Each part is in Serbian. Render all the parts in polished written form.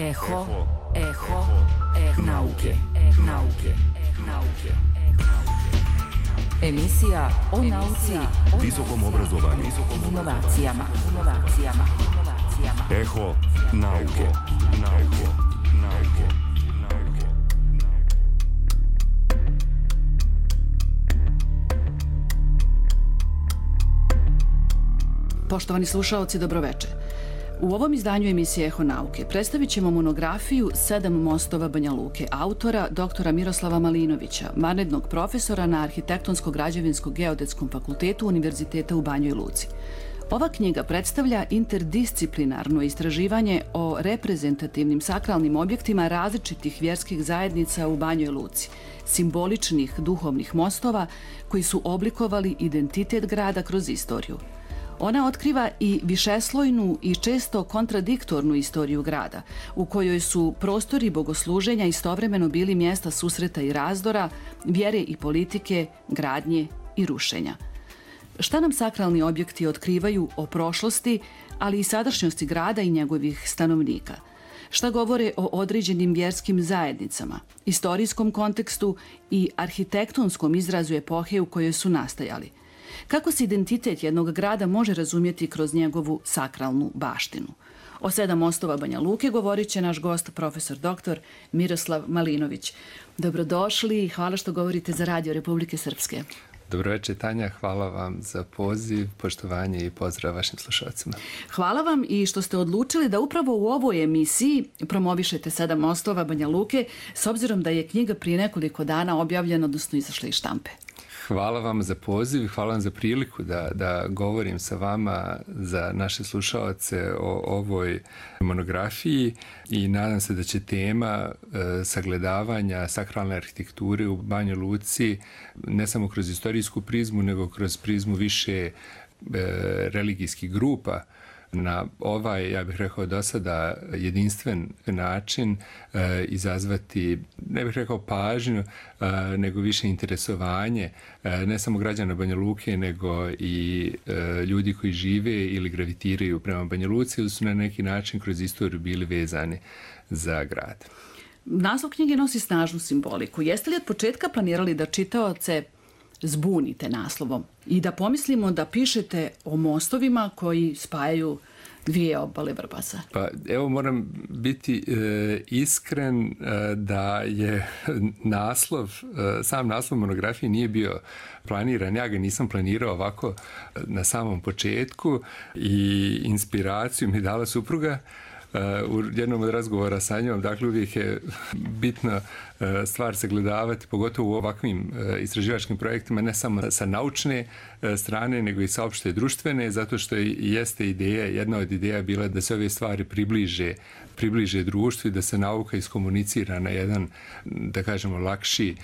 Eho nauke. Emisija o nauci, visokom obrazovanju, inovacijama. Eho nauke. Poštovani slušaoci, dobroveče. U ovom izdanju emisije Eho nauke predstavit ćemo monografiju 7 mostova Banja Luke autora doktora Miroslava Malinovića, vanrednog profesora na Arhitektonsko-građevinsko-geodetskom fakultetu Univerziteta u Banjoj Luci. Ova knjiga predstavlja interdisciplinarno istraživanje o reprezentativnim sakralnim objektima različitih vjerskih zajednica u Banjoj Luci, simboličnih duhovnih mostova koji su oblikovali identitet grada kroz istoriju. Ona otkriva i višeslojnu i često kontradiktornu istoriju grada, u kojoj su prostori bogosluženja istovremeno bili mjesta susreta i razdora, vjere i politike, gradnje i rušenja. Šta nam sakralni objekti otkrivaju o prošlosti, ali i sadašnjosti grada i njegovih stanovnika? Šta govore o određenim vjerskim zajednicama, istorijskom kontekstu i arhitektonskom izrazu epohe u kojoj su nastajali? Kako se identitet jednog grada može razumjeti kroz njegovu sakralnu baštinu? O 7 mostova Banja Luke govorit će naš gost, profesor doktor Miroslav Malinović. Dobrodošli i hvala što govorite za Radio Republike Srpske. Dobroveče, Tanja, hvala vam za poziv, poštovanje i pozdrav vašim slušalcima. Hvala vam i što ste odlučili da upravo u ovoj emisiji promovišete 7 mostova Banja Luke, s obzirom da je knjiga prije nekoliko dana objavljena, odnosno izašla iz štampe. Hvala vam za poziv i hvala vam za priliku da govorim sa vama za naše slušalce o ovoj monografiji i nadam se da će tema sagledavanja sakralne arhitekture u Banjoj Luci ne samo kroz istorijsku prizmu, nego kroz prizmu više religijskih grupa na ovaj, ja bih rekao do sada, jedinstven način izazvati, ne bih rekao pažnju, nego više interesovanje, ne samo građana Banja Luke, nego i ljudi koji žive ili gravitiraju prema Banja Luci ili su na neki način kroz istoriju bili vezani za grad. Naslov knjige nosi snažnu simboliku. Jeste li od početka planirali da čitaoce zbunite naslovom i da pomislimo da pišete o mostovima koji spajaju dvije obale Vrbasa? Pa evo, moram biti iskren da je sam naslov monografije nije bio planiran. Ja ga nisam planirao ovako na samom početku i inspiraciju mi dala supruga u jednom od razgovora sa njom. Dakle, uvijek je bitno stvar sagledavati, pogotovo u ovakvim istraživačkim projektima, ne samo sa naučne strane, nego i sa opšte društvene, zato što jeste ideja, jedna od ideja bila da se ove stvari približe društvu i da se nauka iskomunicira na jedan, da kažemo, lakši,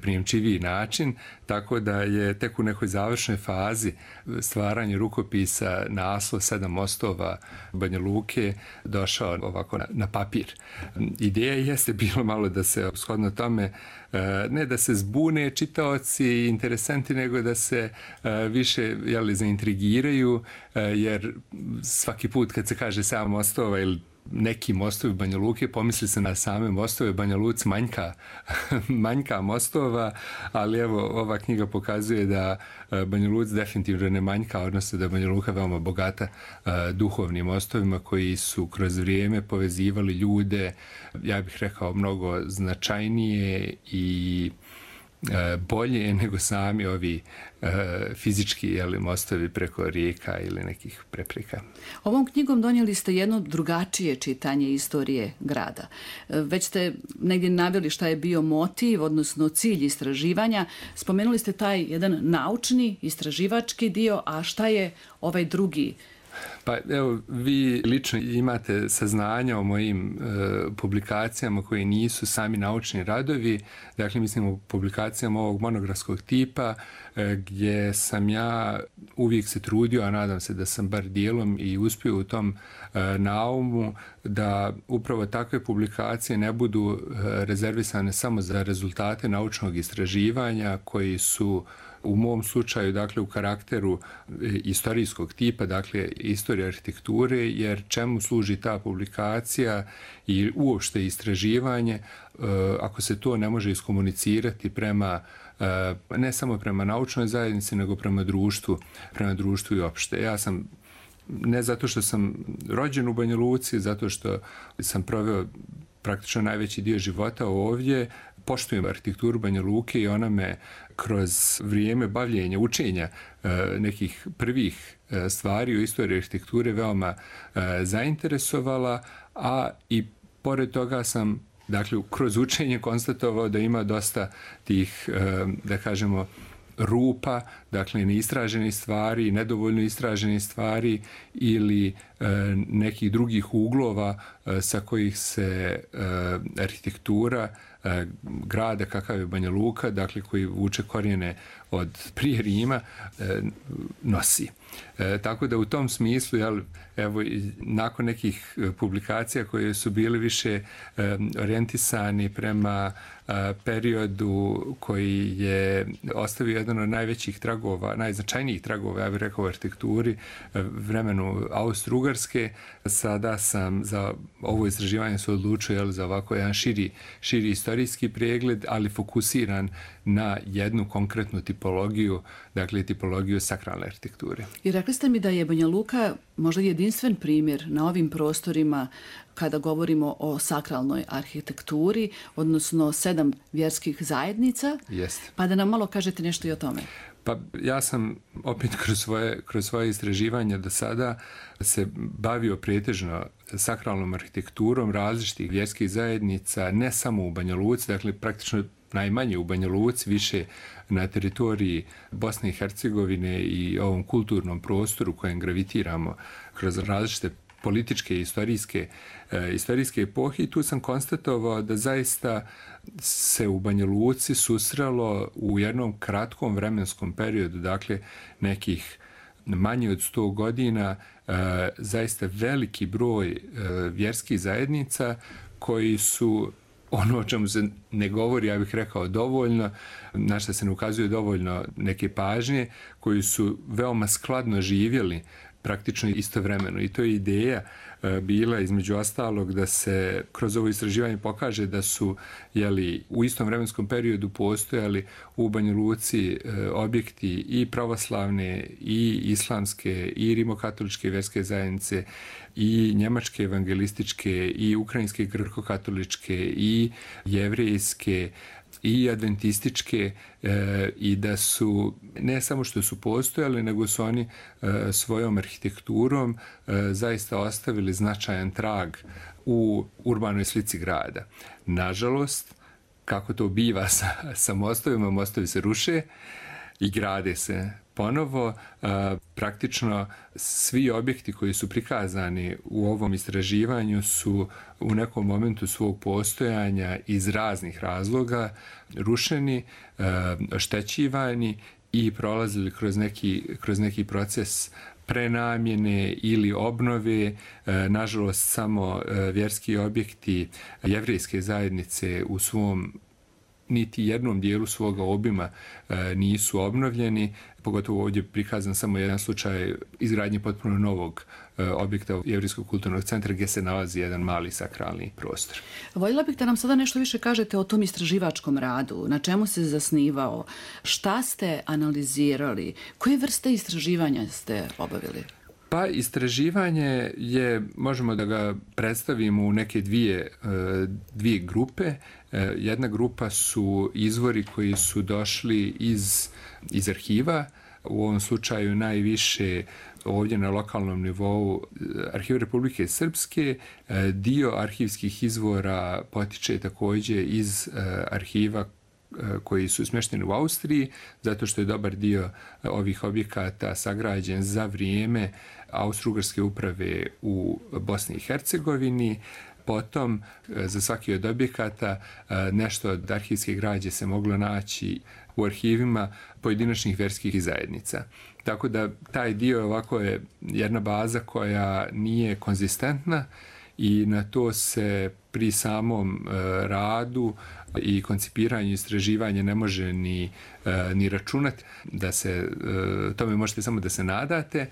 prijemčiviji način, tako da je tek u nekoj završnoj fazi stvaranje rukopisa naslov 7 mostova Banja Luke došao ovako na papir. Ideja jeste bilo malo da se shodno tome, ne da se zbune čitaoci i interesanti, nego da se više zaintrigiraju, jer svaki put kad se kaže 7 mostova ili neki mostovi Banja Luke, pomisli se na same mostove. Banja Luci manjka mostova, ali evo, ova knjiga pokazuje da Banja Luci definitivno ne manjka, odnosno da je Banja Luka veoma bogata duhovnim mostovima koji su kroz vrijeme povezivali ljude, ja bih rekao, mnogo značajnije i bolje nego sami ovi fizički mostovi preko rijeka ili nekih prepreka. Ovom knjigom donijeli ste jedno drugačije čitanje istorije grada. Već ste negdje naveli šta je bio motiv, odnosno cilj istraživanja. Spomenuli ste taj jedan naučni, istraživački dio, a šta je ovaj drugi? Pa evo, vi lično imate saznanja o mojim publikacijama koji nisu sami naučni radovi, dakle mislim o publikacijama ovog monografskog tipa gdje sam ja uvijek se trudio, a nadam se da sam bar dijelom i uspio u tom naumu, da upravo takve publikacije ne budu rezervisane samo za rezultate naučnog istraživanja koji su u mom slučaju, dakle, u karakteru istorijskog tipa, dakle, istorija arhitekture, jer čemu služi ta publikacija i uopšte istraživanje ako se to ne može iskomunicirati prema ne samo prema naučnoj zajednici, nego prema društvu i opšte. Ja sam, ne zato što sam rođen u Banja Luci, zato što sam proveo praktično najveći dio života ovdje, poštujem arhitekturu Banja Luke i ona me kroz vrijeme bavljenja, učenja nekih prvih stvari u istoriji arhitekture veoma zainteresovala, a i pored toga sam, dakle, kroz učenje konstatovao da ima dosta tih, da kažemo, rupa, dakle, neistraženih stvari, nedovoljno istraženih stvari ili nekih drugih uglova sa kojih se arhitektura grada kakav je Banja Luka, dakle, koji vuče korijene od prije Rima, nosi. Tako da u tom smislu, evo, nakon nekih publikacija koje su bili više orijentisani prema periodu koji je ostavio jedan od najvećih tragova, najznačajnijih tragova, ja bih rekao, u arhitekturi, vremenu Austro-Ugarske, sada sam za ovo istraživanje se odlučio za ovako jedan širi istorijski pregled, ali fokusiran na jednu konkretnu tipologiju, dakle tipologiju sakralne arhitekture. I rekli ste mi da je Banja Luka možda jedinstven primjer na ovim prostorima kada govorimo o sakralnoj arhitekturi, odnosno 7 vjerskih zajednica. Jeste. Pa da nam malo kažete nešto i o tome. Pa ja sam opet kroz svoje istraživanja do sada se bavio pretežno sakralnom arhitekturom različitih vjerskih zajednica, ne samo u Banja Luci, dakle praktično najmanje u Banja Luci, više na teritoriji Bosne i Hercegovine i ovom kulturnom prostoru kojem gravitiramo kroz različite političke i istorijske epohe, i tu sam konstatovao da zaista se u Banja Luci susrelo u jednom kratkom vremenskom periodu, dakle nekih manje od 100 godina, zaista veliki broj vjerskih zajednica koji su, ono o čemu se ne govori, ja bih rekao dovoljno, na što se ne ukazuje dovoljno neke pažnje, koji su veoma skladno živjeli praktično istovremeno. I to je ideja bila, između ostalog, da se kroz ovo istraživanje pokaže da su, u istom vremenskom periodu postojali u Banja Luci objekti i pravoslavne, i islamske, i rimokatoličke vjerske zajednice, i njemačke evangelističke, i ukrajinske grko-katoličke, i jevrejske, i adventističke, i da su, ne samo što su postojali, nego su oni svojom arhitekturom zaista ostavili značajan trag u urbanoj slici grada. Nažalost, kako to biva sa mostovima, mostovi se ruše i grade se ponovo. Praktično svi objekti koji su prikazani u ovom istraživanju su u nekom momentu svog postojanja iz raznih razloga rušeni, oštećivani i prolazili kroz neki proces prenamjene ili obnove. Nažalost, samo vjerski objekti jevrejske zajednice u svom niti jednom dijelu svoga obima nisu obnovljeni. Pogotovo ovdje prikazan samo jedan slučaj izgradnje potpuno novog objekta Jevrejskog kulturnog centra gdje se nalazi jedan mali sakralni prostor. Voljela bih da nam sada nešto više kažete o tom istraživačkom radu, na čemu se zasnivao, šta ste analizirali, koje vrste istraživanja ste obavili? Pa istraživanje je, možemo da ga predstavimo u neke dvije grupe. Jedna grupa su izvori koji su došli iz arhiva, u ovom slučaju najviše ovdje na lokalnom nivou Arhiva Republike Srpske. Dio arhivskih izvora potiče također iz arhiva koji su smješteni u Austriji, zato što je dobar dio ovih objekata sagrađen za vrijeme Austro-Ugarske uprave u Bosni i Hercegovini. Potom, za svaki od objekata, nešto od arhivske građe se moglo naći u arhivima pojedinačnih vjerskih zajednica. Tako da taj dio ovako je jedna baza koja nije konzistentna i na to se pri samom radu i koncipiranju istraživanja ne može ni računati, da se tome možete samo da se nadate.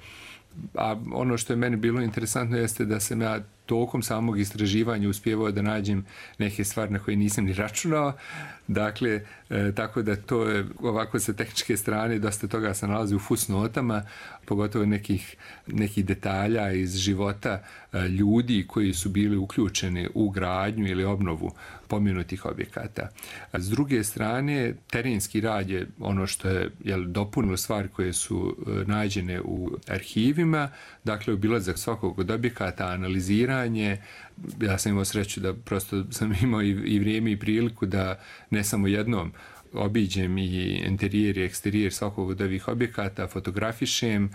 A ono što je meni bilo interesantno jeste da sam ja tokom samog istraživanja uspjevao da nađem neke stvari na koje nisam ni računao. Dakle, tako da to je ovako sa tehničke strane dosta toga se nalazi u fusnotama, pogotovo nekih detalja iz života ljudi koji su bili uključeni u gradnju ili obnovu pomenutih objekata. S druge strane, terenski rad je ono što je dopunilo stvari koje su nađene u arhivima, dakle obilazak svakog od objekata, analiziranje. Ja sam imao sreću da prosto sam imao i vrijeme i priliku da ne samo jednom obiđem i interijer i eksterijer svakog od ovih objekata, fotografišem,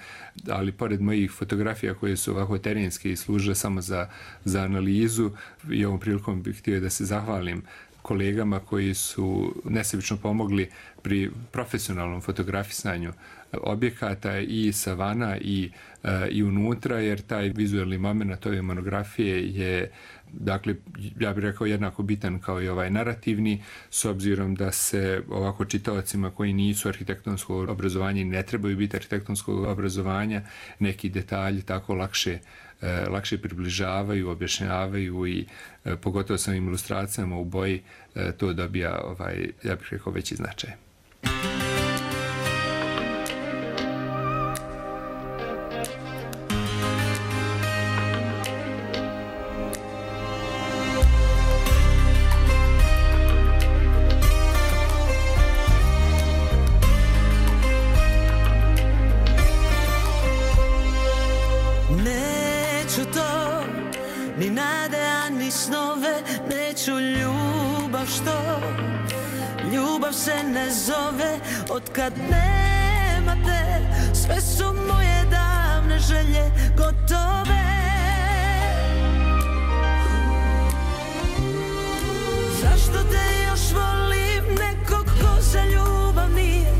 ali pored mojih fotografija koje su ovako terenske i služe samo za analizu, i ovom prilikom bih htio da se zahvalim kolegama koji su nesebično pomogli pri profesionalnom fotografisanju objekata i sa vana i unutra, jer taj vizualni moment ove monografije je, dakle, ja bih rekao jednako bitan kao i ovaj narativni, s obzirom da se ovako čitaocima koji nisu arhitektonsko obrazovanje i ne trebaju biti arhitektonskog obrazovanja, neki detalji tako lakše približavaju, objašnjavaju i pogotovo sa ilustracijama u boji to dobija, ja bih rekao, veći značaj. Ni nade, ani snove, neću ljubav što ljubav se ne zove. Otkad nema te, sve su moje davne želje gotove. Zašto te još volim, nekog ko za ljubav nije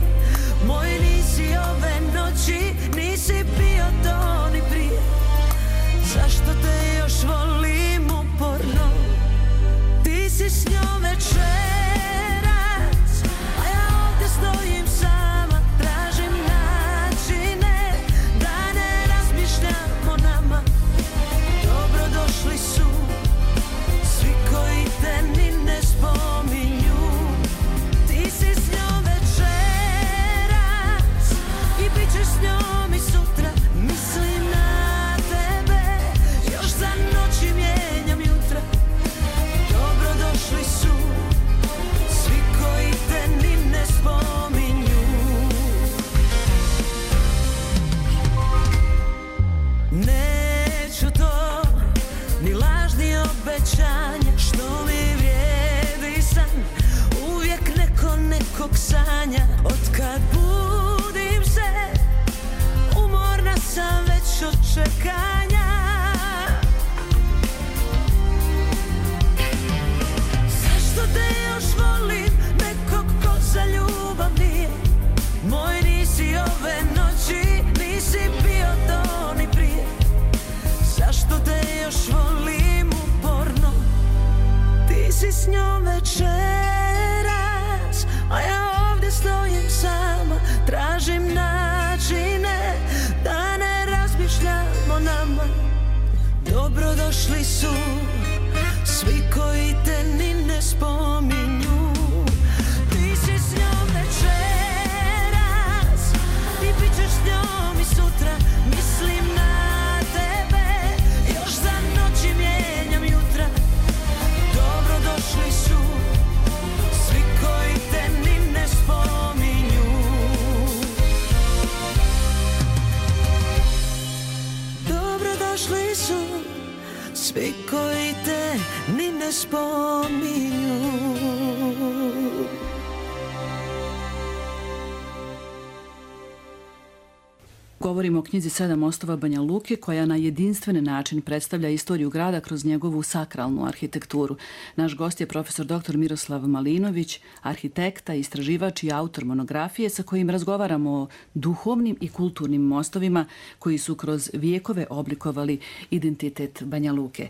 moj, nisi ove noći, nisi bio to ni prije. Zašto te još volim uporno, ti si s njom večeras, a ja ovdje stojim sama, tražim načine da ne razmišljam o nama. Dobrodošli su svi koji te ni ne spominju, ti si s njom večeras i bit ćeš s njom i sutra, mislim na za noći mijenjam jutra. Dobrodošli su svi koji te ni ne spominju. Neću to, ni lažni obećanja, što mi vrijedi san, uvijek nekog sanja. Otkad budim se, umorna sam već od čekanja. Zašto te još volim, nekog ko za ljubav nije moj, nisi ove noći, nisi bio to ni prije. Zašto te još volim uporno, ti si s njom večeras, a ja ovdje stojim sama, tražim načine da ne razmišljam o nama. Dobrodošli su svi koji te ni ne spominju, ti si s njom večeras i bit ćeš s njom i sutra, mislim na tebe, još za noći mijenjam jutra. Dobrodošli su svi koji te ni ne spominju. Dobrodošli su svi koji te ni ne spominju. Govorimo o knjizi 7 mostova Banja Luke, koja na jedinstven način predstavlja istoriju grada kroz njegovu sakralnu arhitekturu. Naš gost je profesor dr. Miroslav Malinović, arhitekta, istraživač i autor monografije sa kojim razgovaramo o duhovnim i kulturnim mostovima koji su kroz vijekove oblikovali identitet Banja Luke.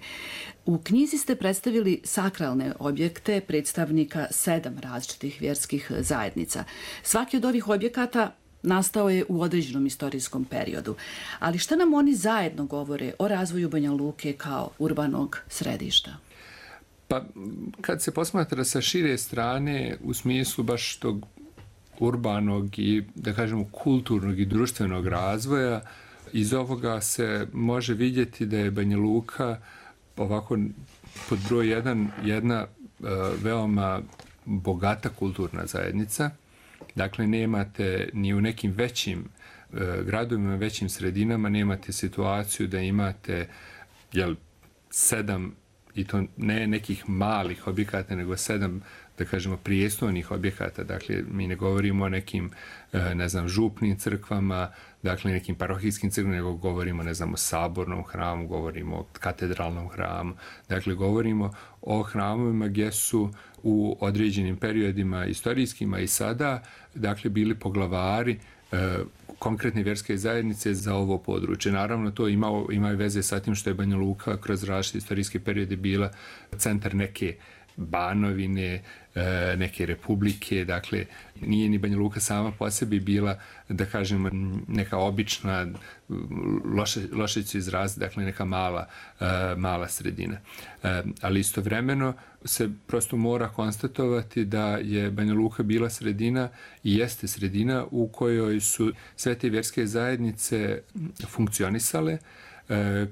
U knjizi ste predstavili sakralne objekte predstavnika 7 različitih vjerskih zajednica. Svaki od ovih objekata nastao je u određenom istorijskom periodu. Ali šta nam oni zajedno govore o razvoju Banja Luke kao urbanog središta? Pa, kad se posmatra sa šire strane, u smislu baš tog urbanog i, da kažemo, kulturnog i društvenog razvoja, iz ovoga se može vidjeti da je Banja Luka ovako pod broj 1 jedna veoma bogata kulturna zajednica. Dakle, nemate ni u nekim većim gradovima, većim sredinama, nemate situaciju da imate 7, i to ne nekih malih objekata, nego 7, da kažemo, prijestolnih objekata. Dakle, mi ne govorimo o nekim, župnim crkvama, dakle, nekim parohijskim crkvama, nego govorimo, o sabornom hramu, govorimo o katedralnom hramu. Dakle, govorimo o hramovima gdje su u određenim periodima istorijskima i sada, dakle, bili poglavari konkretne vjerske zajednice za ovo područje. Naravno, to ima veze sa tim što je Banja Luka kroz različite istorijske periode bila centar neke banovine, neke republike, dakle, nije ni Banja Luka sama po sebi bila, da kažem, neka obična, loše ću izraziti, dakle, neka mala sredina. Ali istovremeno se prosto mora konstatovati da je Banja Luka bila sredina i jeste sredina u kojoj su sve te vjerske zajednice funkcionisale,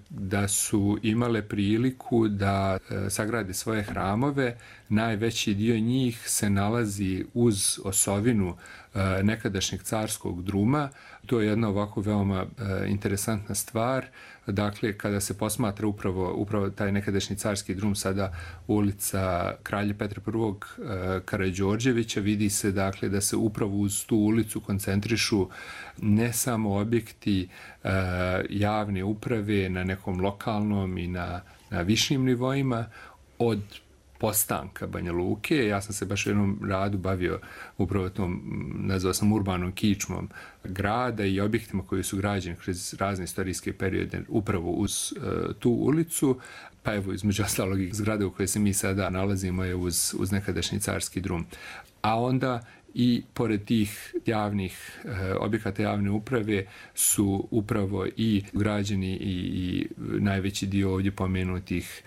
da su imale priliku da sagrade svoje hramove. Najveći dio njih se nalazi uz osovinu nekadašnjeg carskog druma. To je jedna ovako veoma interesantna stvar. Dakle, kada se posmatra upravo taj nekadašnji carski drum, sada ulica Kralja Petra I. Karađorđevića, vidi se, dakle, da se upravo uz tu ulicu koncentrišu ne samo objekti javne uprave na nekom lokalnom i na višim nivoima od postanka Banja Luke. Ja sam se baš u jednom radu bavio upravo tom, nazvao sam urbanom kičmom grada i objektima koji su građeni kroz razne istorijske periode upravo uz tu ulicu. Pa evo, između ostalog, zgrade u kojoj se mi sada nalazimo je uz nekadašnji carski drum. A onda i pored tih javnih objekata javne uprave su upravo i građeni i najveći dio ovdje pomenutih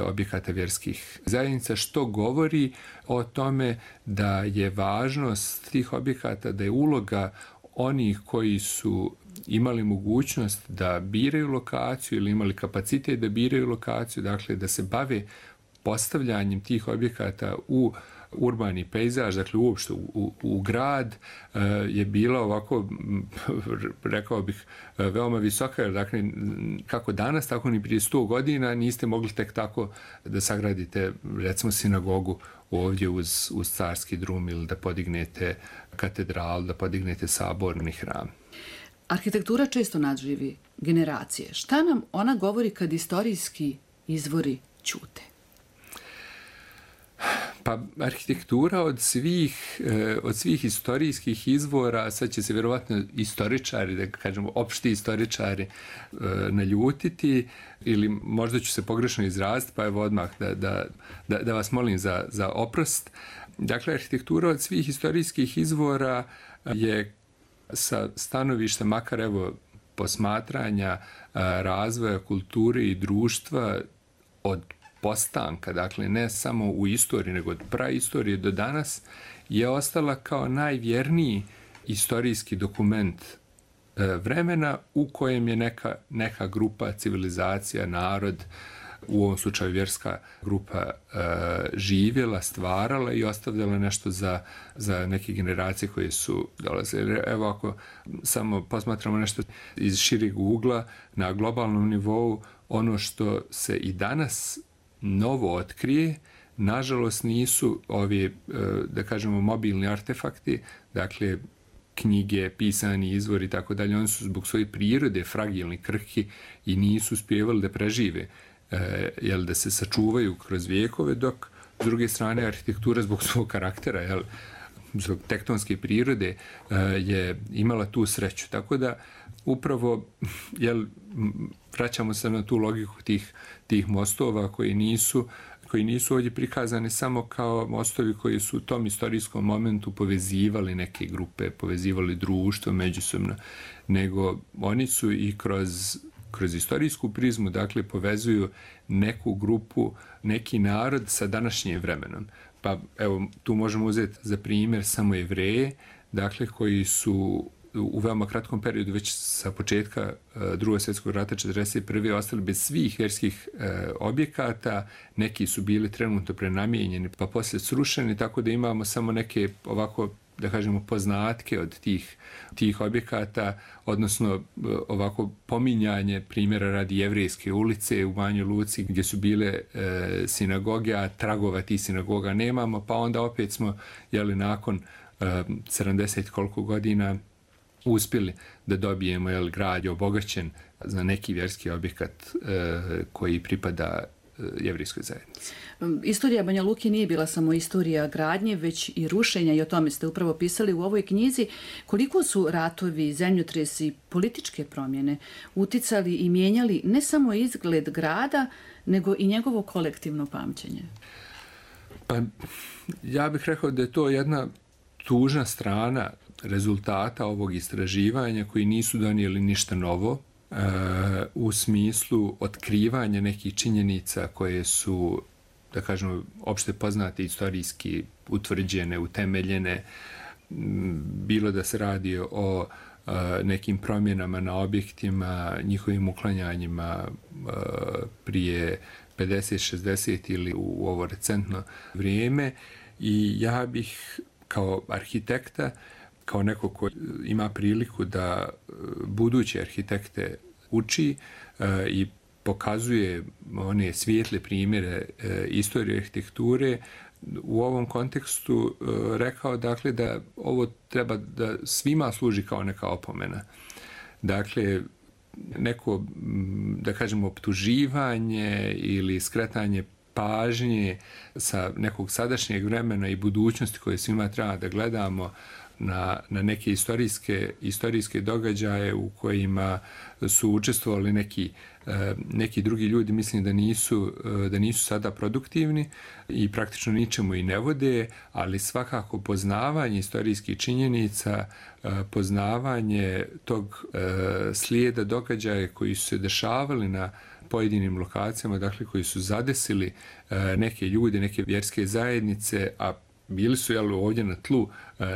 objekata vjerskih zajednica, što govori o tome da je važnost tih objekata, da je uloga onih koji su imali mogućnost da biraju lokaciju ili imali kapacitet da biraju lokaciju, dakle da se bave postavljanjem tih objekata u urbani pejzaž, dakle uopšte u grad, je bila ovako, rekao bih, veoma visoka, jer dakle kako danas, tako ni prije 100 godina niste mogli tek tako da sagradite, recimo, sinagogu ovdje uz carski drum ili da podignete katedralu, da podignete saborni hram. Arhitektura često nadživi generacije. Šta nam ona govori kad istorijski izvori ćute? Pa, arhitektura od svih istorijskih izvora, sad će se vjerovatno istoričari, da kažemo opšti istoričari, naljutiti, ili možda ću se pogrešno izraziti, pa evo odmah da vas molim za oprost. Dakle, arhitektura od svih istorijskih izvora je sa stanovišta, makar evo posmatranja razvoja kulture i društva od postanka, dakle ne samo u istoriji, nego od praistorije do danas, je ostala kao najvjerniji istorijski dokument vremena u kojem je neka grupa, civilizacija, narod, u ovom slučaju vjerska grupa, živjela, stvarala i ostavljala nešto za neke generacije koje su dolazile. Evo, ako samo posmatramo nešto iz šireg ugla, na globalnom nivou, ono što se i danas novo otkrije, nažalost nisu ovi, da kažemo, mobilni artefakti, dakle knjige, pisani izvori i tako dalje. Oni su zbog svoje prirode fragilni, krhki i nisu uspjevali da prežive, da se sačuvaju kroz vijekove, dok s druge strane arhitektura zbog svog karaktera, zbog tektonske prirode je imala tu sreću. Tako da upravo vraćamo se na tu logiku tih mostova koji nisu ovdje prikazani samo kao mostovi koji su u tom istorijskom momentu povezivali neke grupe, povezivali društvo međusobno, nego oni su i kroz istorijsku prizmu, dakle, povezuju neku grupu, neki narod sa današnjim vremenom. Pa evo, tu možemo uzeti za primjer samo Jevreje, dakle, koji su u veoma kratkom periodu, već sa početka Drugog svjetskog rata 1941. ostali bez svih vjerskih objekata, neki su bili trenutno prenamijenjeni pa poslije srušeni, tako da imamo samo neke ovako, da kažemo, poznatke od tih objekata, odnosno ovako pominjanje primjera radi Jevrejske ulice u Banjoj Luci gdje su bile sinagoge, a tragova tih sinagoga nemamo, pa onda opet smo nakon 70 koliko godina uspjeli da dobijemo grad je obogaćen za neki vjerski objekat koji pripada jevrijskoj zajednici. Istorija Banja Luke nije bila samo istorija gradnje, već i rušenja, i o tome ste upravo pisali u ovoj knjizi. Koliko su ratovi, zemljotresi i političke promjene uticali i mijenjali ne samo izgled grada, nego i njegovo kolektivno pamćenje? Pa, ja bih rekao da je to jedna tužna strana rezultata ovog istraživanja koji nisu donijeli ništa novo u smislu otkrivanja nekih činjenica koje su, da kažemo, opšte poznate, istorijski utvrđene, utemeljene, bilo da se radi o nekim promjenama na objektima, njihovim uklanjanjima prije 50, 60 ili u ovo recentno vrijeme. I ja bih kao arhitekta, kao neko ko ima priliku da buduće arhitekte uči i pokazuje one svijetle primjere istorije arhitekture, u ovom kontekstu rekao, dakle, da ovo treba da svima služi kao neka opomena. Dakle, neko, da kažemo, optuživanje ili skretanje pažnje sa nekog sadašnjeg vremena i budućnosti koje svima treba da gledamo na neke istorijske događaje u kojima su učestvovali neki drugi ljudi, mislim da nisu sada produktivni i praktično ničemu i ne vode, ali svakako poznavanje istorijskih činjenica, poznavanje tog slijeda događaja koji su se dešavali na pojedinim lokacijama, dakle, koji su zadesili neke ljude, neke vjerske zajednice, a bili su ovdje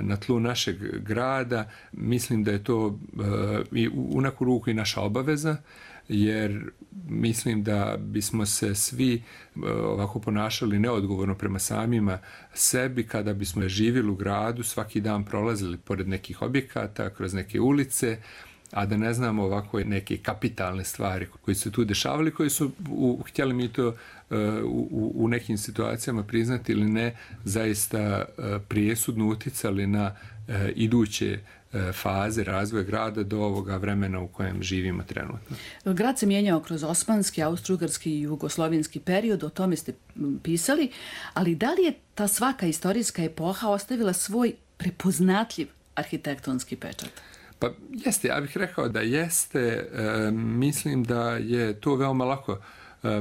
na tlu našeg grada. Mislim da je to u neku ruku i naša obaveza, jer mislim da bismo se svi ovako ponašali neodgovorno prema samima sebi kada bismo živjeli u gradu, svaki dan prolazili pored nekih objekata, kroz neke ulice, a da ne znamo ovako neke kapitalne stvari koje su tu dešavali, koje su, htjeli mi to u nekim situacijama priznati ili ne, zaista presudno uticali na iduće faze razvoja grada do ovoga vremena u kojem živimo trenutno. Grad se mijenjao kroz osmanski, austro-ugarski i jugoslovenski period, o tome ste pisali, ali da li je ta svaka istorijska epoha ostavila svoj prepoznatljiv arhitektonski pečat? Pa jeste, ja bih rekao da jeste. Mislim da je to veoma lako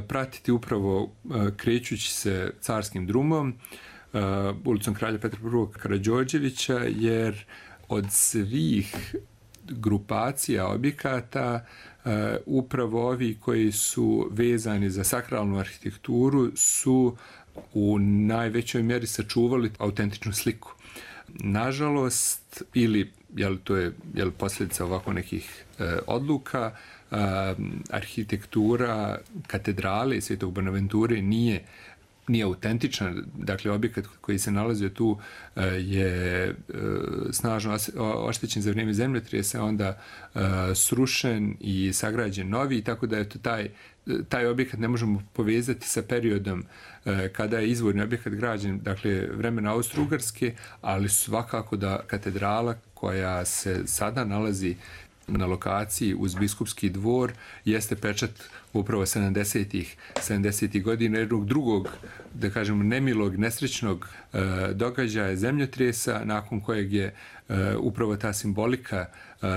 pratiti upravo krećući se Carskim drumom, ulicom Kralja Petra I. Karađorđevića, jer od svih grupacija objekata upravo ovi koji su vezani za sakralnu arhitekturu su u najvećoj mjeri sačuvali autentičnu sliku. Nažalost, ili to je posljedica ovako nekih odluka, arhitektura katedrale Svetog Bonaventure nije autentična. Dakle, objekat koji se nalazio tu je snažno oštećen za vrijeme zemljotresa, onda srušen i sagrađen novi, tako da je to taj objekat ne možemo povezati sa periodom kada je izvorni objekat građen, dakle vremena Austro-Ugarske, ali svakako da katedrala koja se sada nalazi na lokaciji uz Biskupski dvor jeste pečat upravo 70. godina jednog drugog, da kažemo, nemilog, nesrećnog događaja zemljotresa, nakon kojeg je upravo ta simbolika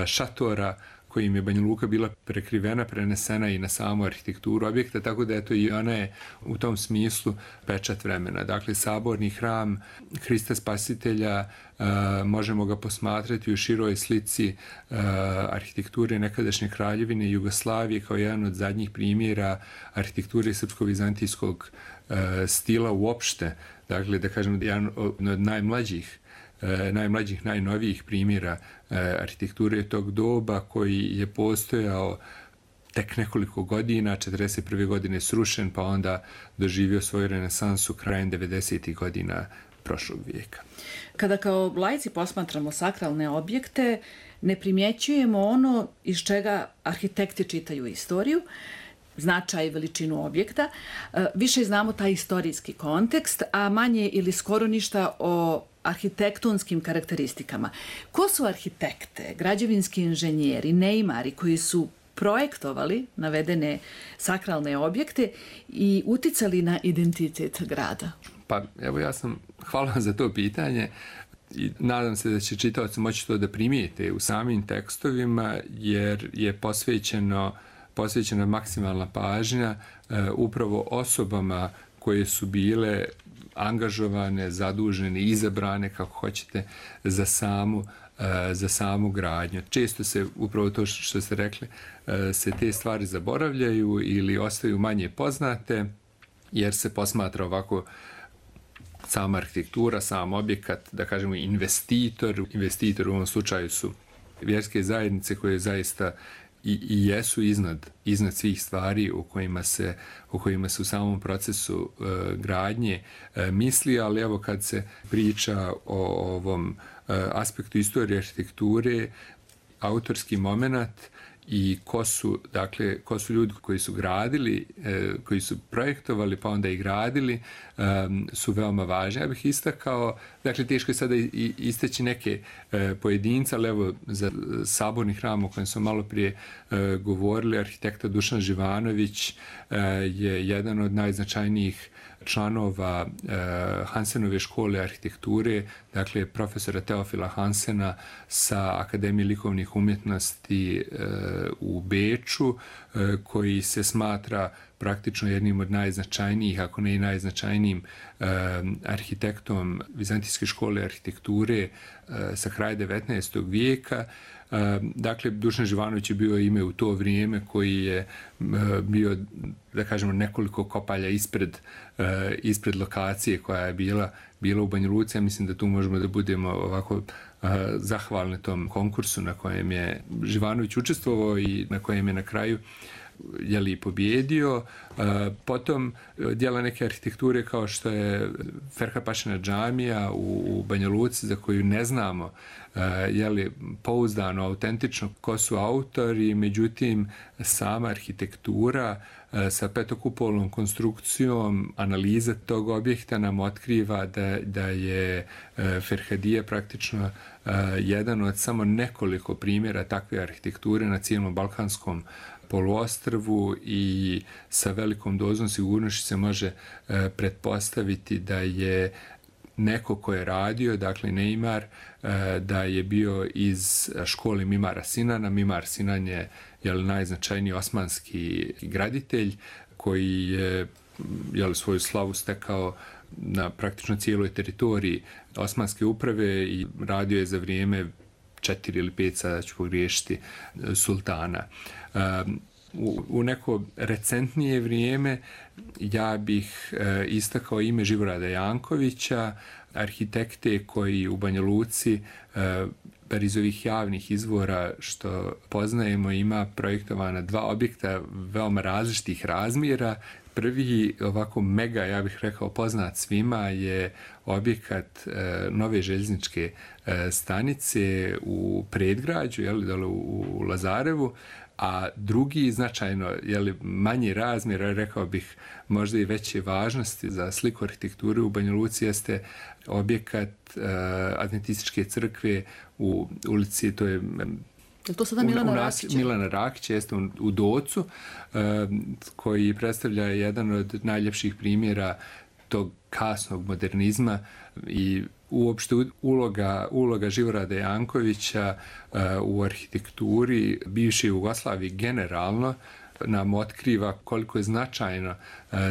šatora kojim je Banja Luka bila prekrivena, prenesena i na samu arhitekturu objekta, tako da eto i ona je u tom smislu pečat vremena. Dakle, saborni hram Hrista Spasitelja, možemo ga posmatrati u široj slici arhitekture nekadašnje kraljevine Jugoslavije kao jedan od zadnjih primjera arhitekture srpsko-vizantijskog stila uopšte. Dakle, da kažem, jedan od najmlađih, najnovijih primjera arhitekture tog doba koji je postojao tek nekoliko godina, 41. godine srušen, pa onda doživio svoju renesansu krajem 90. godina prošlog vijeka. Kada kao laici posmatramo sakralne objekte, ne primjećujemo ono iz čega arhitekti čitaju istoriju, značaj i veličinu objekta. Više znamo taj istorijski kontekst, a manje ili skoro ništa o arhitektonskim karakteristikama. Ko su arhitekte, građevinski inženjeri, neimari koji su projektovali navedene sakralne objekte i uticali na identitet grada? Pa evo, hvala vam za to pitanje i nadam se da će čitaoci moći to da primijete u samim tekstovima, jer je posvećena maksimalna pažnja upravo osobama koje su bile angažovane, zadužene, izabrane, kako hoćete, za samu gradnju. Često se, upravo to što ste rekli, se te stvari zaboravljaju ili ostaju manje poznate, jer se posmatra ovako sama arhitektura, sam objekat, da kažemo investitor. Investitor u ovom slučaju su vjerske zajednice koje zaista i jesu iznad svih stvari o kojima se u samom procesu gradnje misli, ali evo kad se priča o ovom aspektu istorije arhitekture, autorski moment i ko su ljudi koji su gradili, koji su projektovali pa onda i gradili, su veoma važni. Ja bih istakao, dakle teško je sada isteći neke pojedince, ali evo za saborni hram o kojem smo malo prije govorili, arhitekta Dušan Živanović je jedan od najznačajnijih članova Hansenove škole arhitekture, dakle profesora Teofila Hansena sa Akademije likovnih umjetnosti u Beču, koji se smatra praktično jednim od najznačajnijih, ako ne i najznačajnijim arhitektom Vizantijske škole arhitekture sa kraja 19. vijeka. Dakle, Dušan Živanović je bio ime u to vrijeme koji je bio, da kažemo, nekoliko kopalja ispred lokacije koja je bila u Banja Luci. Ja mislim da tu možemo da budemo ovako zahvalni tom konkursu na kojem je Živanović učestvovao i na kojem je na kraju pobjedio. Potom djela neke arhitekture kao što je Ferhapašina džamija u Banja Luci, za koju ne znamo pouzdano, autentično ko su autori, međutim sama arhitektura sa petokupolnom konstrukcijom, analiza tog objekta nam otkriva da je Ferhadija praktično jedan od samo nekoliko primjera takve arhitekture na cijelom balkanskom poluostrvu i sa velikom dozom sigurnošću se može pretpostaviti da je neko ko je radio, dakle neimar, da je bio iz škole Mimara Sinana. Mimar Sinan je najznačajniji osmanski graditelj koji je svoju slavu stekao na praktično cijeloj teritoriji Osmanske uprave i radio je za vrijeme 4 ili 5, sada ću pogriješiti, sultana. U neko recentnije vrijeme ja bih istakao ime Živorada Jankovića, arhitekte koji u Banja Luci, bar iz ovih javnih izvora što poznajemo, ima projektovana 2 objekta veoma različitih razmjera. Prvi ovako mega, ja bih rekao, poznat svima je objekat nove željezničke stanice u predgrađu, dole u Lazarevu, a drugi značajno manji razmjer, rekao bih možda i veće važnosti za sliku arhitekture u Banja Luci jeste objekat Adventističke crkve u ulici, to je to sada Milana Rakića? Milana Rakića, jeste u Docu, koji predstavlja jedan od najljepših primjera tog kasnog modernizma i uopšte uloga Živorada Jankovića u arhitekturi bivše Jugoslavije generalno nam otkriva koliko je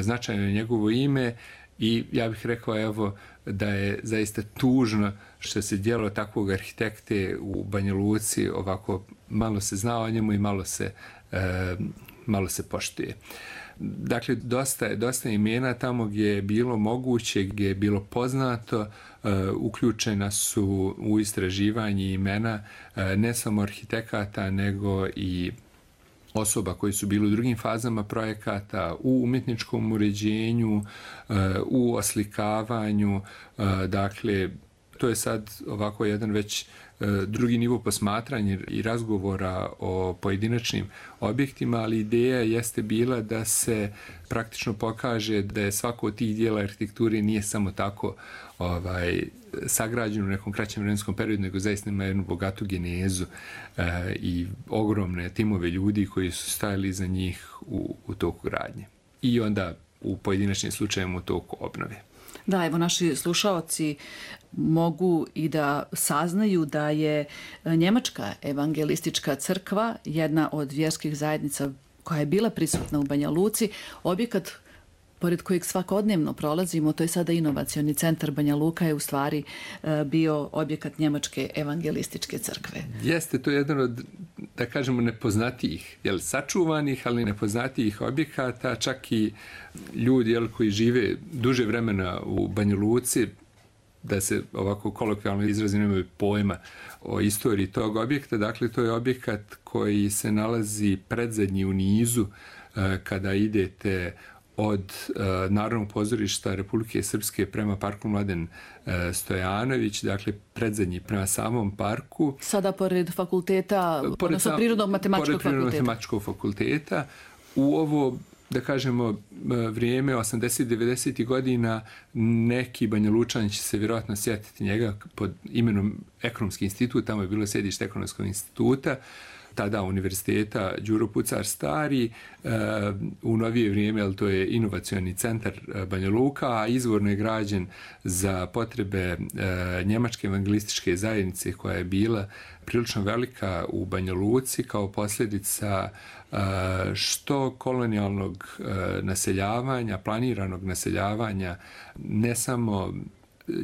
značajno njegovo ime i ja bih rekao da je zaista tužno što se djelo takvog arhitekte u Banja Luci ovako malo se zna o njemu i malo se poštuje. Dakle, dosta imena tamo gdje je bilo moguće, gdje je bilo poznato, uključena su u istraživanje imena ne samo arhitekata, nego i osoba koji su bili u drugim fazama projekata, u umjetničkom uređenju, u oslikavanju. Dakle, to je sad ovako jedan već drugi nivo posmatranja i razgovora o pojedinačnim objektima, ali ideja jeste bila da se praktično pokaže da je svako od tih dijela arhitekture nije samo tako sagrađeno u nekom kraćem vremenskom periodu, nego zaista ima jednu bogatu genezu i ogromne timove ljudi koji su stajali iza njih u toku gradnje. I onda u pojedinačnim slučajevima u toku obnove. Da, evo naši slušaoci mogu i da saznaju da je Njemačka evangelistička crkva jedna od vjerskih zajednica koja je bila prisutna u Banja Luci, objekat pored kojeg svakodnevno prolazimo, to je sada inovacioni centar Banja Luka, je u stvari bio objekat Njemačke evangelističke crkve. Jeste, to je jedan od, da kažemo, nepoznatijih, sačuvanih, ali nepoznatijih objekata, čak i ljudi koji žive duže vremena u Banja Luci, da se ovako kolokvijalno izrazi, nemaju pojma o istoriji tog objekta. Dakle, to je objekat koji se nalazi predzadnji u nizu kada idete od Narodnog pozorišta Republike Srpske prema parku Mladen Stojanović, dakle predzadnji prema samom parku. Sada pored fakulteta, odnosno Prirodno-matematičkog fakulteta. U ovo, da kažemo, vrijeme 80-90 godina, neki Banja Lučani će se vjerojatno sjetiti njega pod imenom Ekonomski institut, tamo je bilo sjedište Ekonomskog instituta, tada univerziteta Đuro Pucar Stari, u novije vrijeme, ali to je inovacioni centar Banja Luka, a izvorno je građen za potrebe Njemačke evangelističke zajednice koja je bila prilično velika u Banja Luci kao posljedica što kolonijalnog naseljavanja, planiranog naseljavanja, ne samo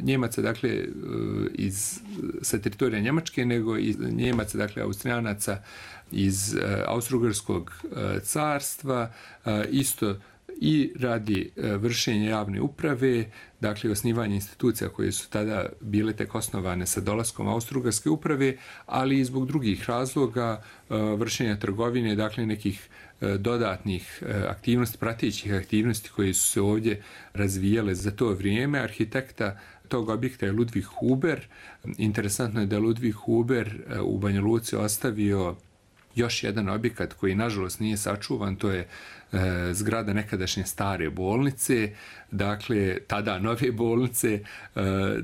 Njemaca, dakle, sa teritorija Njemačke, nego i Njemaca, dakle, Austrijanaca iz Austro-Ugarskog carstva, isto i radi vršenja javne uprave, dakle, osnivanje institucija koje su tada bile tek osnovane sa dolaskom Austro-Ugarske uprave, ali i zbog drugih razloga, vršenja trgovine, dakle, nekih dodatnih aktivnosti, pratećih aktivnosti koje su se ovdje razvijale za to vrijeme. Arhitekta tog objekta je Ludvig Huber. Interesantno je da je Ludvig Huber u Banja Luci ostavio još jedan objekat koji nažalost nije sačuvan, to je zgrada nekadašnje stare bolnice, dakle tada nove bolnice.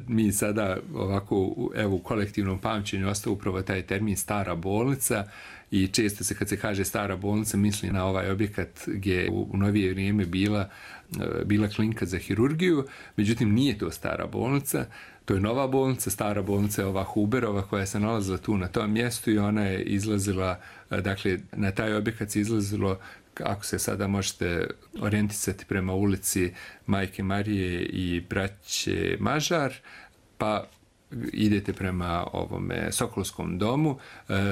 Mi sada ovako u kolektivnom pamćenju ostao upravo taj termin stara bolnica i često se kad se kaže stara bolnica misli na ovaj objekat gdje je u novije vrijeme bila klinika za hirurgiju, međutim nije to stara bolnica, to je nova bolnica. Stara bolnica je ova Huberova koja se nalazila tu na tom mjestu i ona je izlazila, dakle na taj objekat se izlazilo, ako se sada možete orijentisati prema ulici Majke Marije i braće Mažar, pa idete prema ovome Sokolskom domu.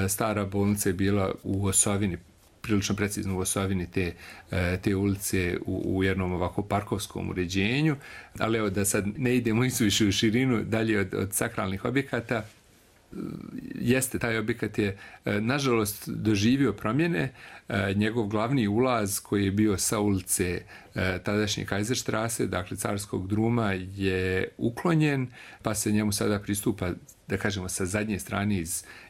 Stara bolnica je bila u osovini, prilično precizno u osovini te ulice u jednom ovako parkovskom uređenju, ali evo da sad ne idemo isuviše u širinu dalje od sakralnih objekata. jeste, taj objekat je nažalost doživio promjene. Njegov glavni ulaz koji je bio sa ulice tadašnje Kaiserstrasse, dakle Carskog druma, je uklonjen, pa se njemu sada pristupa, da kažemo, sa zadnje strane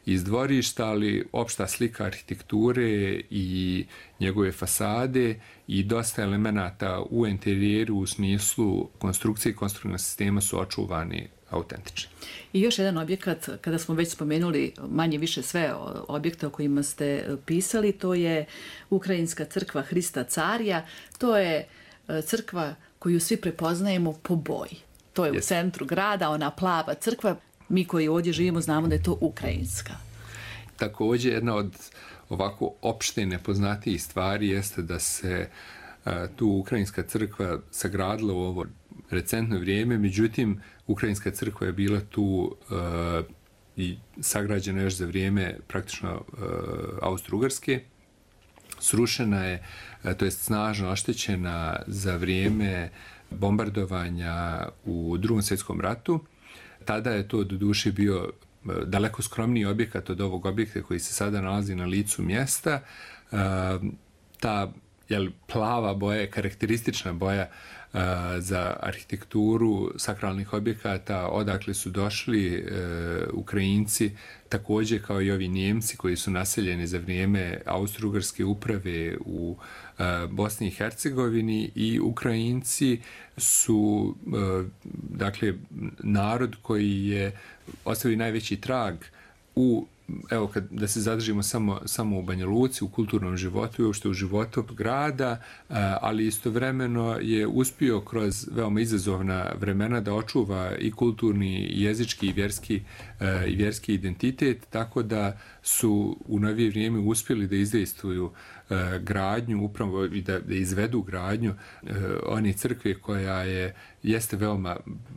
iz dvorišta, ali opšta slika arhitekture i njegove fasade i dosta elemenata u interijeru u smislu konstrukcije i konstruktivnog sistema su očuvani autentični. I još jedan objekat, kada smo već spomenuli manje više sve objekte o kojima ste pisali, to je Ukrajinska crkva Hrista Carja. To je crkva koju svi prepoznajemo po boji. To je u centru grada, ona plava crkva. Mi koji ovdje živimo znamo da je to ukrajinska. Također, jedna od ovako opšte nepoznatijih stvari jeste da se tu Ukrajinska crkva sagradila u ovo recentno vrijeme, međutim, Ukrajinska crkva je bila tu i sagrađena još za vrijeme praktično Austro-Ugarske. Srušena je, to jest snažno oštećena za vrijeme bombardovanja u Drugom svjetskom ratu. Tada je to doduše bio daleko skromniji objekat od ovog objekta koji se sada nalazi na licu mjesta. Ta plava boja je karakteristična boja za arhitekturu sakralnih objekata, odakle su došli Ukrajinci, također kao i ovi Njemci koji su naseljeni za vrijeme Austro-Ugarske uprave u Bosni i Hercegovini, i Ukrajinci su dakle narod koji je ostavio najveći trag u, evo, da se zadržimo samo u Banja Luci, u kulturnom životu i uopšte u životu grada, ali istovremeno je uspio kroz veoma izazovna vremena da očuva i kulturni, i jezički, i vjerski identitet, tako da su u novije vrijeme uspjeli da izdejstvuju gradnju, upravo i da izvedu gradnju one crkve koja jeste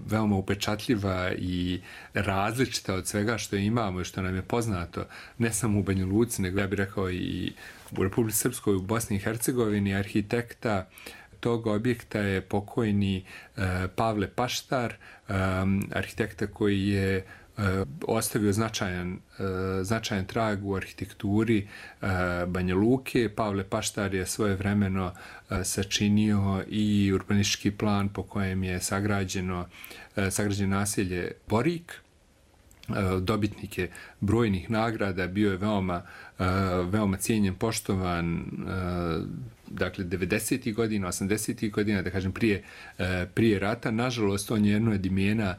veoma upečatljiva i različita od svega što imamo i što nam je poznato, ne samo u Banja Luci, nego ja bih rekao i u Republici Srpskoj, u Bosni i Hercegovini. Arhitekta tog objekta je pokojni Pavle Paštar, arhitekta koji je ostavio značajan trag u arhitектuri Banja Luke. Pavle Paštar je svojevremeno sačinio i urbanistički plan po kojem je sagrađeno naselje Borik. Dobitnik je brojnih nagrada, bio je veoma cijenjen, poštovan, dakle 90. godina, 80. godina, da kažem prije rata. Nažalost, on je jedno od imena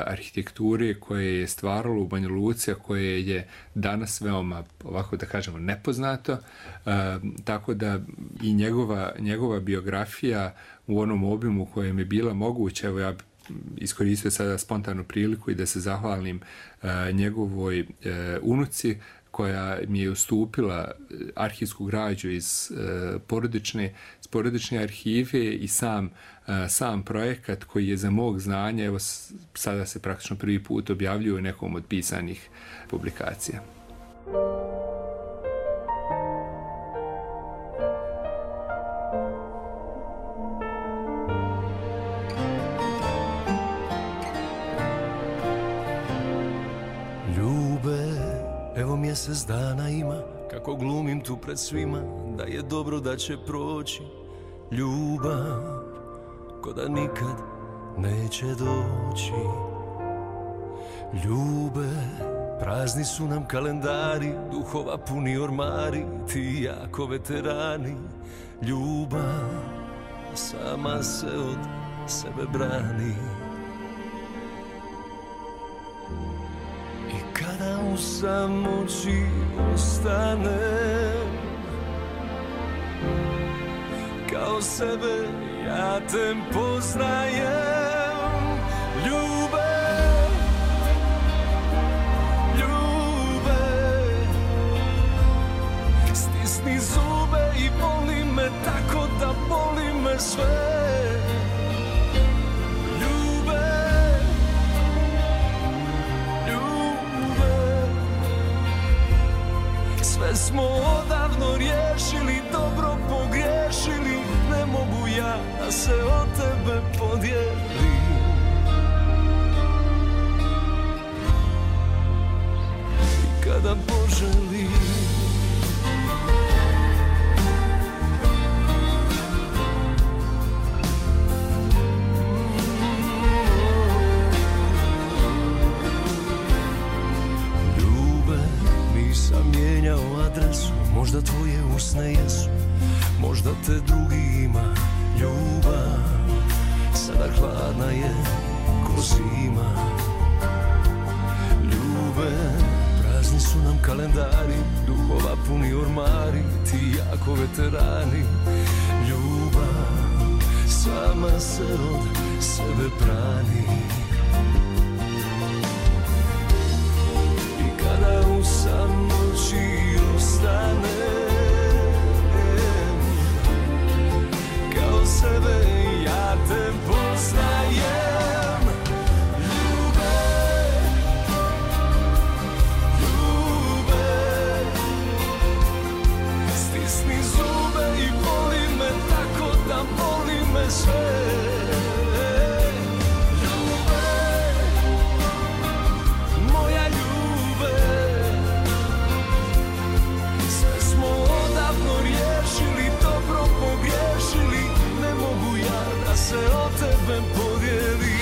arhitekture koje je stvaralo u Banja Luci, a koje je danas veoma, ovako da kažemo, nepoznato, tako da i njegova biografija u onom obimu kojem je bila moguća, evo ja iskoristio sada spontanu priliku i da se zahvalim njegovoj unuci koja mi je ustupila arhivsku građu iz porodične arhive i sam projekat koji je za mog znanja, evo sada se praktično prvi put objavljuje u nekom od pisanih publikacija. Mjesec dana ima, kako glumim tu pred svima, da je dobro, da će proći. Ljubav, ko da nikad neće doći. Ljube, prazni su nam kalendari, duhova puni ormari, ti jako veterani. Ljubav, sama se od sebe brani. Kada u samoći ostanem, kao sebe ja te poznajem. Ljube, stisni zube i voli me tako da boli me sve. Sve smo odavno riješili, dobro pogriješili, ne mogu ja da se od tebe podijelim. kada poželim. Nisam mijenjao adresu, možda tvoje usne jesu, možda te drugi ima. Ljubav sada hladna je ko zima. Ljube, prazni su nam kalendari, duhova puni ormari, ti jako veterani. Ljubav sama se od sebe brani. Kada u samoći ostanem, kao sebe ja te poznajem. Ljube, ljube, stisni zube i voli me tako da voli me sve. Se o tebe podijelim.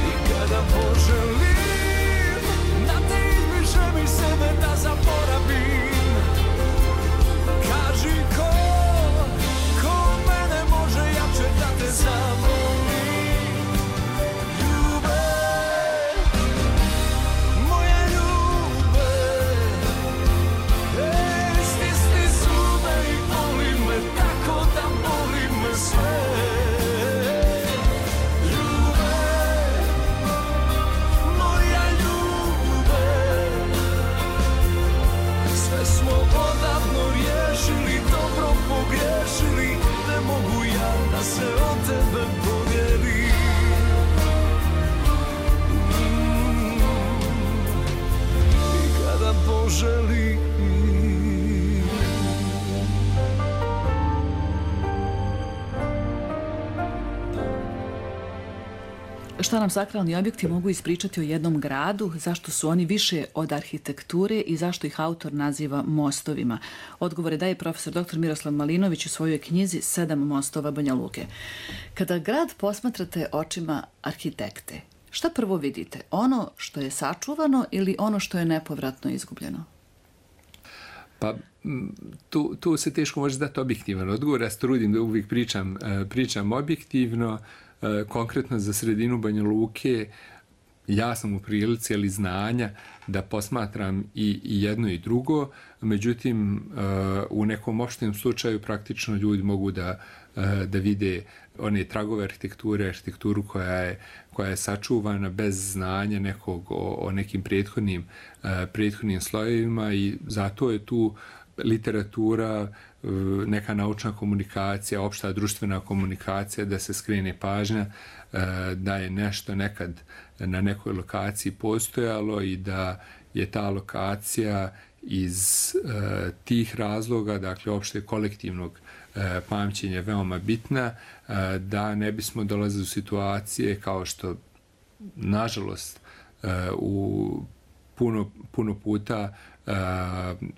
I kada poželim da te izbrišem iz sebe, da zaboravim, kaži ko mene može jače da te zavolim. Ljube, moja ljube, tako da boli me sve. Ljube, moja ljube, sve smo odavno riješili, dobro pogriješili, ne mogu ja da se od tebe podijelim. I kada poželim. Šta nam sakralni objekti mogu ispričati o jednom gradu, zašto su oni više od arhitekture i zašto ih autor naziva mostovima? Odgovore daje profesor dr. Miroslav Malinović u svojoj knjizi 7 mostova Banja Luke. Kada grad posmatrate očima arhitekte, šta prvo vidite? Ono što je sačuvano ili ono što je nepovratno izgubljeno? Pa tu se teško može dati objektivan odgovor. Ja se trudim da uvijek pričam objektivno. Konkretno za sredinu Banja Luke ja sam u prilici ali znanja da posmatram i jedno i drugo, međutim u nekom opštem slučaju praktično ljudi mogu da vide one tragove arhitekture, arhitekturu koja je sačuvana bez znanja nekog o nekim prethodnim slojevima, i zato je tu literatura, neka naučna komunikacija, opšta društvena komunikacija, da se skrene pažnja da je nešto nekad na nekoj lokaciji postojalo i da je ta lokacija iz tih razloga, dakle opšte kolektivnog pamćenja veoma bitna, da ne bismo dolazili u situacije kao što nažalost u puno puta,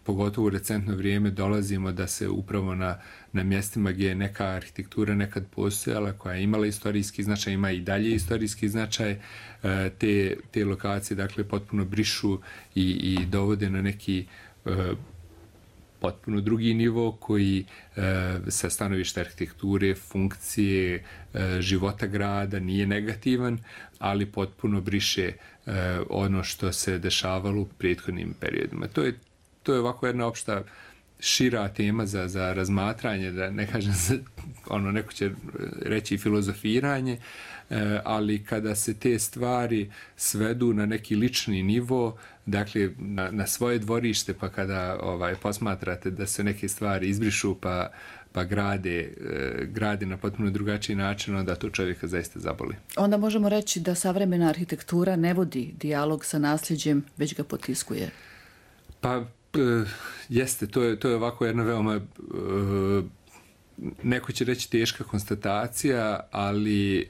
pogotovo u recentno vrijeme, dolazimo da se upravo na mjestima gdje je neka arhitektura nekad postojala, koja je imala istorijski značaj, ima i dalje istorijski značaj, te lokacije dakle potpuno brišu i dovode na neki potpuno drugi nivo koji sa stanovišta arhitekture, funkcije, života grada nije negativan, ali potpuno briše ono što se dešavalo u prethodnim periodima. To je ovako jedna opšta šira tema za razmatranje, da ne kažem neko će reći filozofiranje, ali kada se te stvari svedu na neki lični nivo, dakle na svoje dvorište, pa kada posmatrate da se neke stvari izbrišu pa grade na potpuno drugačiji način, onda to čovjeka zaista zaboli. Onda možemo reći da savremena arhitektura ne vodi dijalog sa nasljeđem, već ga potiskuje. Pa jeste, to je ovako jedna veoma, neko će reći teška konstatacija, ali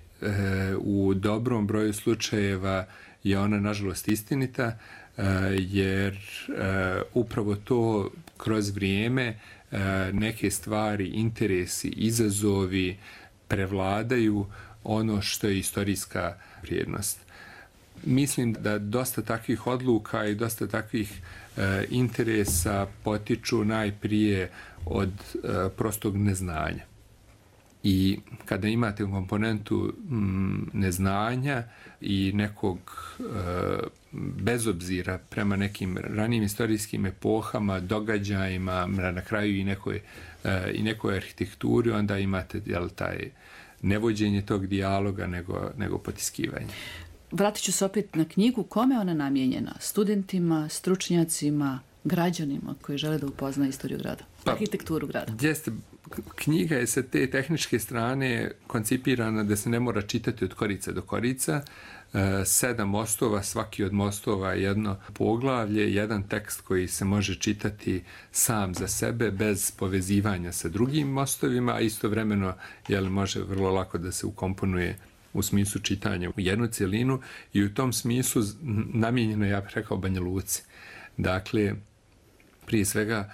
u dobrom broju slučajeva je ona nažalost istinita, jer upravo to kroz vrijeme neke stvari, interesi, izazovi prevladaju ono što je istorijska vrijednost. Mislim da dosta takvih odluka i dosta takvih interesa potiču najprije od prostog neznanja. I kada imate komponentu neznanja i nekog bezobzira prema nekim ranijim istorijskim epohama, događajima, na kraju i nekoj arhitekturi, onda imate taj nevođenje tog dijaloga nego potiskivanje. Vratit ću se opet na knjigu. Kome je ona namijenjena? Studentima, stručnjacima, građanima koji žele da upoznaju istoriju grada, arhitekturu grada? Jeste, knjiga je sa te tehničke strane koncipirana da se ne mora čitati od korica do korica. 7 mostova, svaki od mostova je jedno poglavlje, jedan tekst koji se može čitati sam za sebe bez povezivanja sa drugim mostovima, a istovremeno može vrlo lako da se ukomponuje u smislu čitanja u jednu cjelinu i u tom smislu namijenjeno, ja bih rekao, Banja Luci. Dakle, prije svega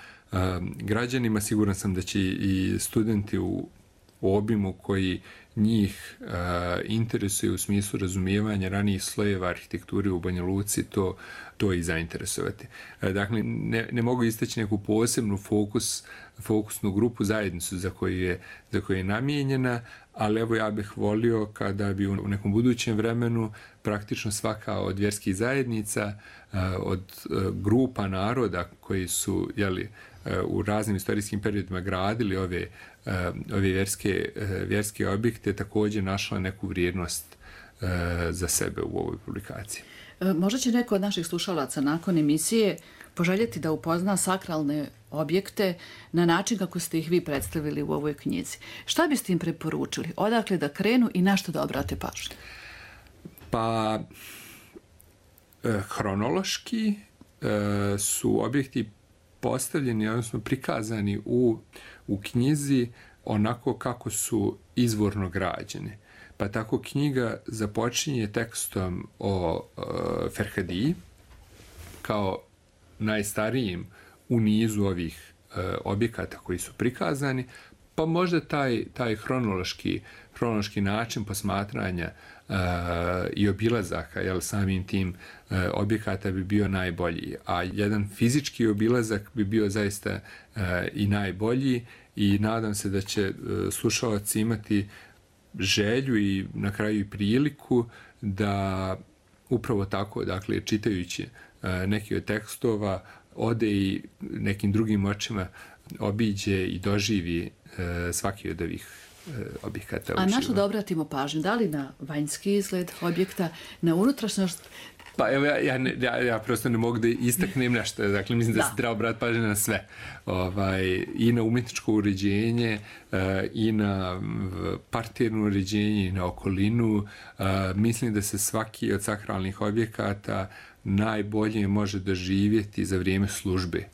građanima, siguran sam da će i studenti u obimu koji njih interesuje u smislu razumijevanja ranijih slojeva arhitekture u Banja Luci to i zainteresovati. Dakle, ne mogu istaći neku posebnu fokusnu grupu, zajednicu za koju je namijenjena, ali evo ja bih volio kada bi u nekom budućem vremenu praktično svaka od vjerskih zajednica, od grupa naroda koji su u raznim istorijskim periodima gradili ove vjerske objekte, također našla neku vrijednost za sebe u ovoj publikaciji. Možda će neko od naših slušalaca nakon emisije poželjeti da upozna sakralne objekte na način kako ste ih vi predstavili u ovoj knjizi. Šta biste im preporučili? Odakle da krenu i na što da obrate pažnju? Pa, hronološki su objekti postavljeni, odnosno prikazani u knjizi onako kako su izvorno građeni. Pa tako knjiga započinje tekstom o Ferhadiji kao najstarijim u nizu ovih objekata koji su prikazani, pa možda taj hronološki način posmatranja i obilazaka samim tim objekata bi bio najbolji. A jedan fizički obilazak bi bio zaista i najbolji i nadam se da će slušalci imati želju i na kraju i priliku da upravo tako, dakle, čitajući neki od tekstova, ode i nekim drugim očima obiđe i doživi svaki od ovih objekata. A na što da obratimo pažnju? Da li na vanjski izgled objekta, na unutrašnjost? Pa evo, ja prosto ne mogu da istaknem nešto. Dakle, mislim da se treba obratiti pažnju na sve. I na umjetničko uređenje, i na parterno uređenje, i na okolinu. Mislim da se svaki od sakralnih objekata najbolje može doživjeti za vrijeme službe.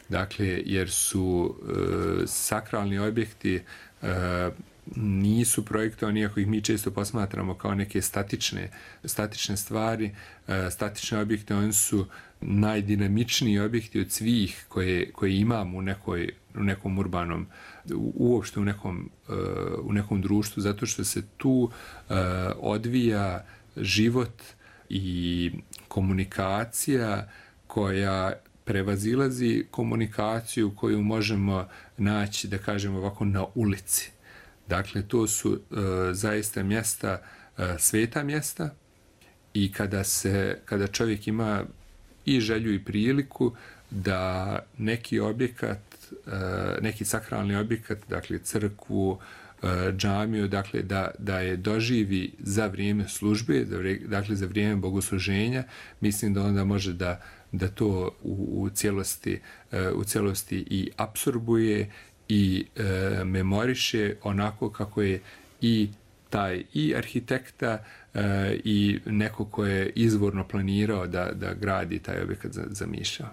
Dakle, jer su sakralni objekti nisu projektovani, iako ih mi često posmatramo kao neke statične stvari, statične objekte, oni su najdinamičniji objekti od svih koje imamo u nekom urbanom, uopšte u nekom društvu, zato što se tu odvija život i komunikacija koja prevazilazi komunikaciju koju možemo naći, da kažemo ovako, na ulici. Dakle, to su zaista mjesta, sveta mjesta, i kada čovjek ima i želju i priliku da neki objekat, neki sakralni objekat, dakle crkvu, džamiju, dakle da je doživi za vrijeme službe, dakle za vrijeme bogosluženja, mislim da onda može da to u cijelosti i apsorbuje i memoriše onako kako je i taj i arhitekta i neko ko je izvorno planirao da gradi taj objekat zamišljao.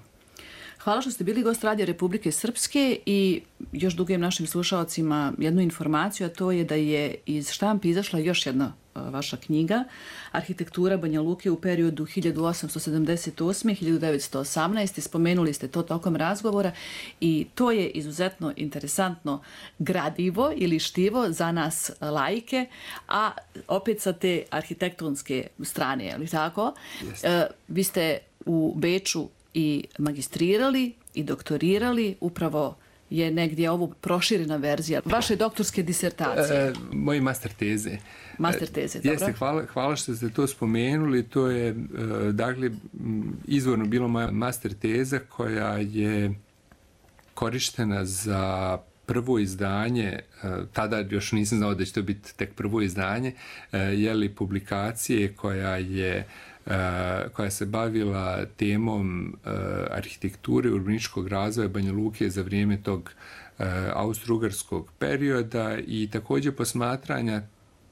Hvala što ste bili gost Radija Republike Srpske i još dugujem našim slušalcima jednu informaciju, a to je da je iz štampi izašla još jedna vaša knjiga, Arhitektura Banja Luke u periodu 1878-1918. Spomenuli ste to tokom razgovora i to je izuzetno interesantno gradivo ili štivo za nas laike, a opet sa te arhitektonske strane, je li tako? Vi ste u Beču i magistrirali i doktorirali, upravo je negdje ovo proširena verzija vaše doktorske disertacije. Moje master teze. Master teze, dobro. Jeste, hvala što ste to spomenuli. To je, dakle, izvorno bilo moja master teza koja je korištena za prvo izdanje, tada još nisam znao da će to biti tek prvo izdanje, publikacije koja se bavila temom arhitekture urbanističkog razvoja Banja Luke za vrijeme tog austro-ugarskog perioda i također posmatranja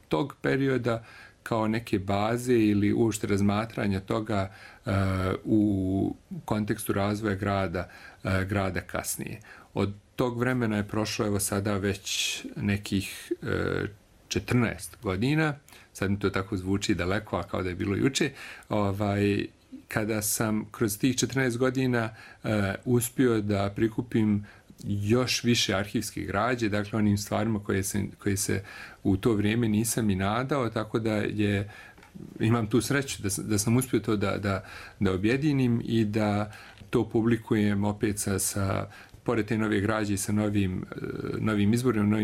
tog perioda kao neke baze ili uopšte razmatranja toga u kontekstu razvoja grada kasnije. Od tog vremena je prošlo evo sada već nekih 14 godina, sad mi to tako zvuči daleko, a kao da je bilo juče, kada sam kroz tih 14 godina uspio da prikupim još više arhivske građe, dakle onim stvarima koje se u to vrijeme nisam i nadao, tako da imam tu sreću da sam uspio to da objedinim i da to publikujem opet sa pored te nove građe i sa novim izborima,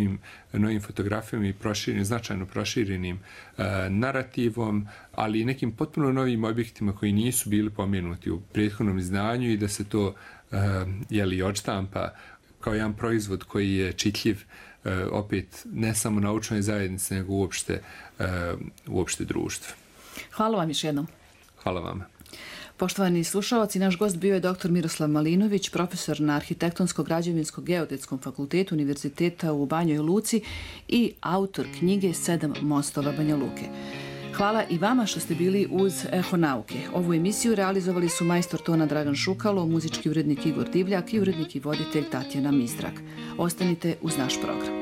novim fotografijama i značajno proširenim narativom, ali i nekim potpuno novim objektima koji nisu bili pomenuti u prethodnom izdanju i da se to odštampa kao jedan proizvod koji je čitljiv opet ne samo naučnoj zajednici, nego uopšte društvu. Hvala vam još jednom. Hvala vama. Poštovani slušalci, naš gost bio je dr. Miroslav Malinović, profesor na Arhitektonsko-građevinsko-geodetskom fakultetu Univerziteta u Banjoj Luci i autor knjige 7 mostova Banja Luke. Hvala i vama što ste bili uz Eho nauke. Ovu emisiju realizovali su majstor tona Dragan Šukalo, muzički urednik Igor Divljak i urednik i voditelj Tatjana Mistrak. Ostanite uz naš program.